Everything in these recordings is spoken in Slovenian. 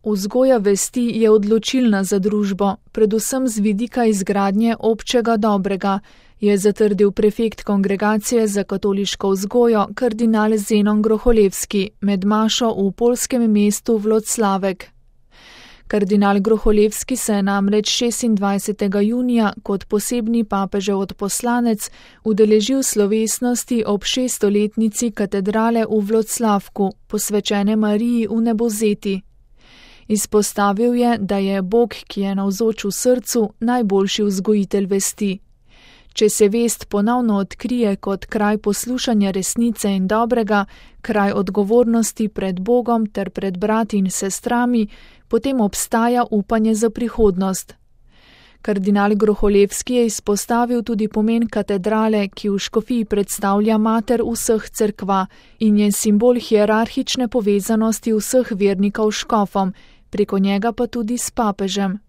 Vzgoja vesti je odločilna za družbo, predvsem z vidika izgradnje občega dobrega, je zatrdil prefekt Kongregacije za katoliško vzgojo kardinal Zenon Groholevski med mašo v poljskem mestu Włocławek. Kardinal Groholevski se je namreč 26. junija kot posebni papežev odposlanec udeležil slovesnosti ob 600-letnici katedrale v Włocławku, posvečene Mariji v Nebozeti. Izpostavil je, da je Bog, ki je navzoč v srcu, najboljši vzgojitelj vesti. Če se vest ponovno odkrije kot kraj poslušanja resnice in dobrega, kraj odgovornosti pred Bogom ter pred brati in sestrami, potem obstaja upanje za prihodnost. Kardinal Groholevski je izpostavil tudi pomen katedrale, ki v škofiji predstavlja mater vseh cerkva in je simbol hierarhične povezanosti vseh vernikov s škofom, preko njega pa tudi s papežem.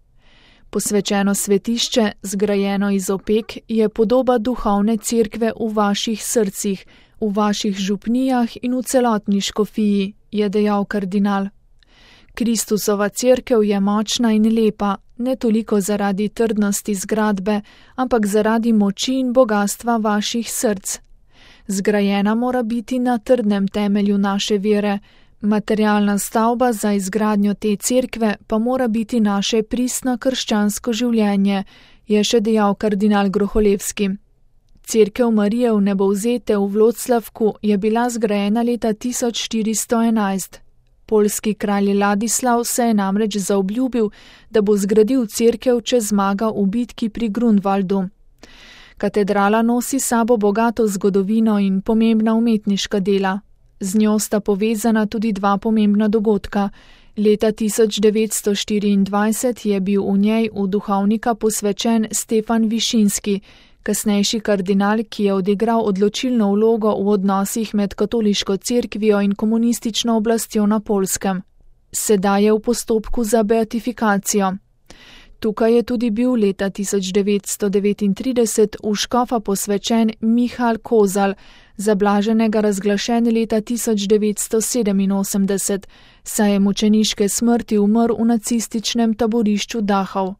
Posvečeno svetišče, zgrajeno iz opek, je podoba duhovne cerkve v vaših srcih, v vaših župnijah in v celotni škofiji, je dejal kardinal. Kristusova cerkev je močna in lepa, ne toliko zaradi trdnosti zgradbe, ampak zaradi moči in bogastva vaših src. Zgrajena mora biti na trdnem temelju naše vere, materialna stavba za izgradnjo te cerkve pa mora biti naše pristno krščansko življenje, je še dejal kardinal Groholevski. Cerkev Marije v Nebozete v Włocławku je bila zgrajena leta 1411. Poljski kralj Ladislav se je namreč zaobljubil, da bo zgradil cerkev, če zmaga v bitki pri Grunwaldu. Katedrala nosi sabo bogato zgodovino in pomembna umetniška dela. Z njo sta povezana tudi dva pomembna dogodka. Leta 1924 je bil v njej v duhovnika posvečen Stefan Višinski, kasnejši kardinal, ki je odigral odločilno vlogo v odnosih med katoliško cerkvijo in komunistično oblastjo na Poljskem. Sedaj je v postopku za beatifikacijo. Tukaj je tudi bil leta 1939 v škofa posvečen Michal Kozal, za blaženega razglašen leta 1987, saj je mučeniške smrti umrl v nacističnem taborišču Dachau.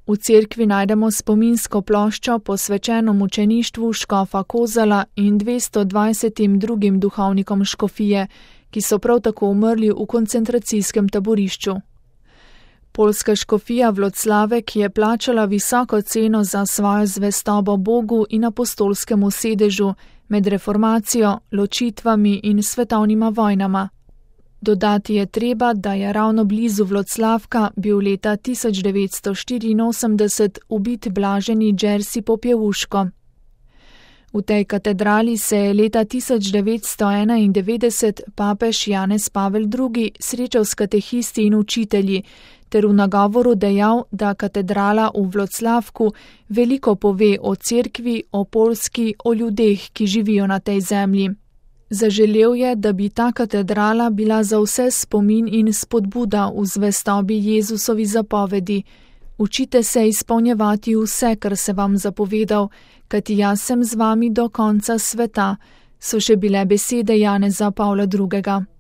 V cerkvi najdemo spominsko ploščo posvečeno mučeništvu škofa Kozala in 220 drugim duhovnikom škofije, ki so prav tako umrli v koncentracijskem taborišču. Poljska škofija Włocławek je plačala visoko ceno za svojo zvestobo Bogu in apostolskemu sedežu med reformacijo, ločitvami in svetovnima vojnama. Dodati je treba, da je ravno blizu Włocławka bil leta 1984 ubit blaženi Jerzy Popiełuszko. V tej katedrali se je leta 1991 papež Janez Pavel II. Srečal s katehisti in učitelji, ter v nagovoru dejal, da katedrala v Włocławku veliko pove o cerkvi, o Poljski, o ljudeh, ki živijo na tej zemlji. Zaželel je, da bi ta katedrala bila za vse spomin in spodbuda v zvestobi Jezusovi zapovedi. Učite se izpolnjevati vse, kar se vam zapovedal, kajti jaz sem z vami do konca sveta, so še bile besede Janeza Pavla II.